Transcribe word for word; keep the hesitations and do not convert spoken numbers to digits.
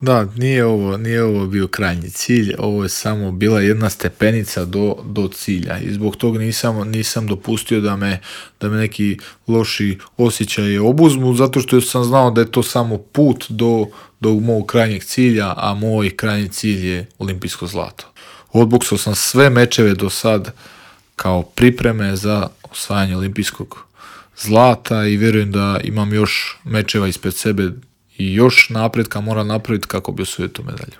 Da, nije ovo, nije ovo bio krajnji cilj, ovo je samo bila jedna stepenica do, do cilja i zbog toga nisam, nisam dopustio da me, da me neki loši osjećaji obuzmu, zato što sam znao da je to samo put do, do mog krajnjeg cilja, a moj krajnji cilj je olimpijsko zlato. Odboksao sam sve mečeve do sad kao pripreme za osvajanje olimpijskog zlata i vjerujem da imam još mečeva ispred sebe i još napretka moram napraviti kako bi osvojio tu medalju.